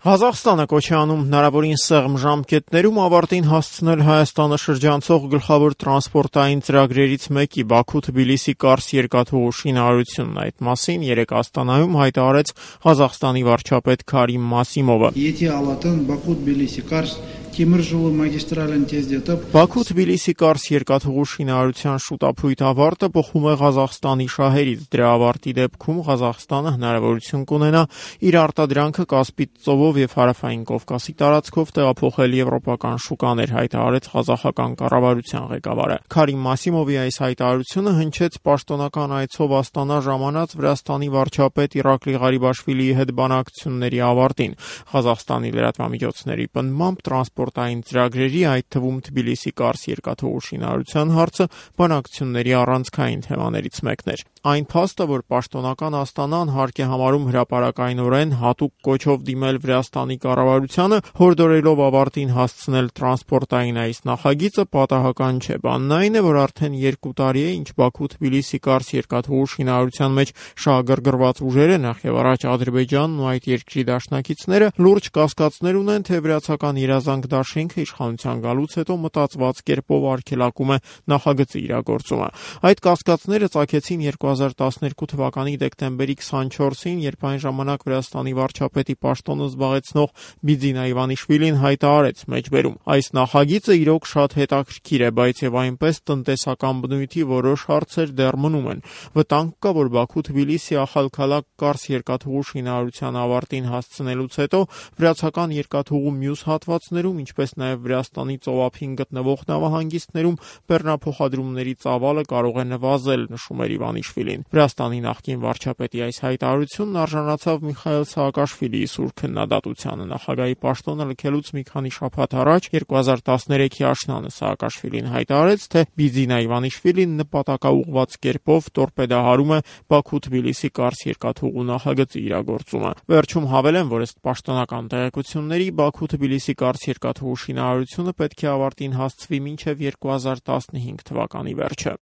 Ղազախստանը կոչ է անում հնարավորին սեղմ ժամկետներում ավարտին հասցնել Հայաստանը շրջանցող գլխավոր տրանսպորտային ծրագրերից մեկի Բաքու-Թբիլիսի-Կարս երկաթուղու շինարարությունն։ Այդ մասին երեկ Աստանայում հայտարարեց Ղազախստանի վարչապետ Քարիմ Մասիմովը։ Բաքու-Թբիլիսի-Կարս երկաթուղու շինարարության շուտափույթ ավարտը բխում է Ղազախստանի շահերից։ Դրա ավարտի դեպքում Ղազախստանը հնարավորություն կունենա իր արտադրանքը Կասպից ծովով եւ Հարավային Կովկասի տարածքով տեղափոխել եվրոպական շուկաներ, հայտարարեց ղազախական կառավարության ղեկավարը։ Քարիմ Մասիմովի այս հայտարարությունը հնչեց պաշտոնական այցով Աստանա ժամանած Վրաստանի վարչապետ Իրակլի Ղարիբաշվիլիի հետ բանակցությունների ավարտին։ Ղազախստանի լրատվամիջոցների պնդմամբ տրանսպորտային ծրագրերի, այդ թվում Թբիլիսի-Կարս երկաթուղու շինարարության հարցը բանակցությունների առանցքային թեմաներից մեկն էր։ Այն փաստը, որ պաշտոնական Աստանան հարկ է համարում հրապարակայնորեն հատուկ կոչով դիմել Վրաստանի կառավարությանը, հորդորելով ավարտին հասցնել տրանսպորտային այս նախագիծը, պատահական չէ։ Բանն այն է, որ արդեն 2 տարի է, ինչ Բաքու-Թբիլիսի-Կարս երկաթուղու շինարարության մեջ շահագրգռված ուժերը, նախ եւ առաջ Ադրբեջանն ու այդ երկրի դաշնակիցները, լուրջ կասկածներ ունեն, թե վրացական երազանք դաշինքը իշխանության գալուց հետո մտածված կերպով արգելակում է նախագծի իրագործումը։ Այդ կասկածները ծագեցին 2012 թվականի դեկտեմբերի 24-ին, երբ այն ժամանակ Վրաստանի վարչապետի պաշտոնը զբաղեցնող Բիձինա Իվանիշվիլին հայտարարեց մեջբերում. այս նախագիծը իրոք շատ հետաքրքիր է, բայց եւ այնպես տնտեսական բնույթի որոշ հարցեր դեռ մնում են։ Վտանգ կա, որ Բաքու-Թբիլիսի Ախալքալակ-Կարս երկաթուղու շինարարության ավարտին հասցնելուց հետո վրացական երկաթուղու մյուս հատվածներում, ինչպես նաեւ Վրաստանի ծովափին գտնվող նավահանգիստներում բեռնափոխադրումների ծավալը կարող է նվազել, նշում էր Իվանիշվիլին։ Վրաստանի նախկին վարչապետի այս հայտարարությունն արժանացավ Միխայիլ Սաակաշվիլիի սուր քննադատությանը։ Նախագահի պաշտոնը լքելուց մի քանի շաբաթ առաջ 2013-ի աշնանը Սաակաշվիլին հայտարարեց, թե Բիձինա Իվանիշվիլին նպատակաուղղված կերպով տորպեդահարում է Բաքու-Թբիլիսի-Կարս երկաթուղու նախագծի իրագործումը։ Վերջում հավելեմ, որ ըստ պաշտոնական տեղեկությունների Բաքու-Թբիլիսի-Կարս երկաթուղու շինարարությունը պետք է ավարտին հասցվի մինչև 2015 թվականի վերջը։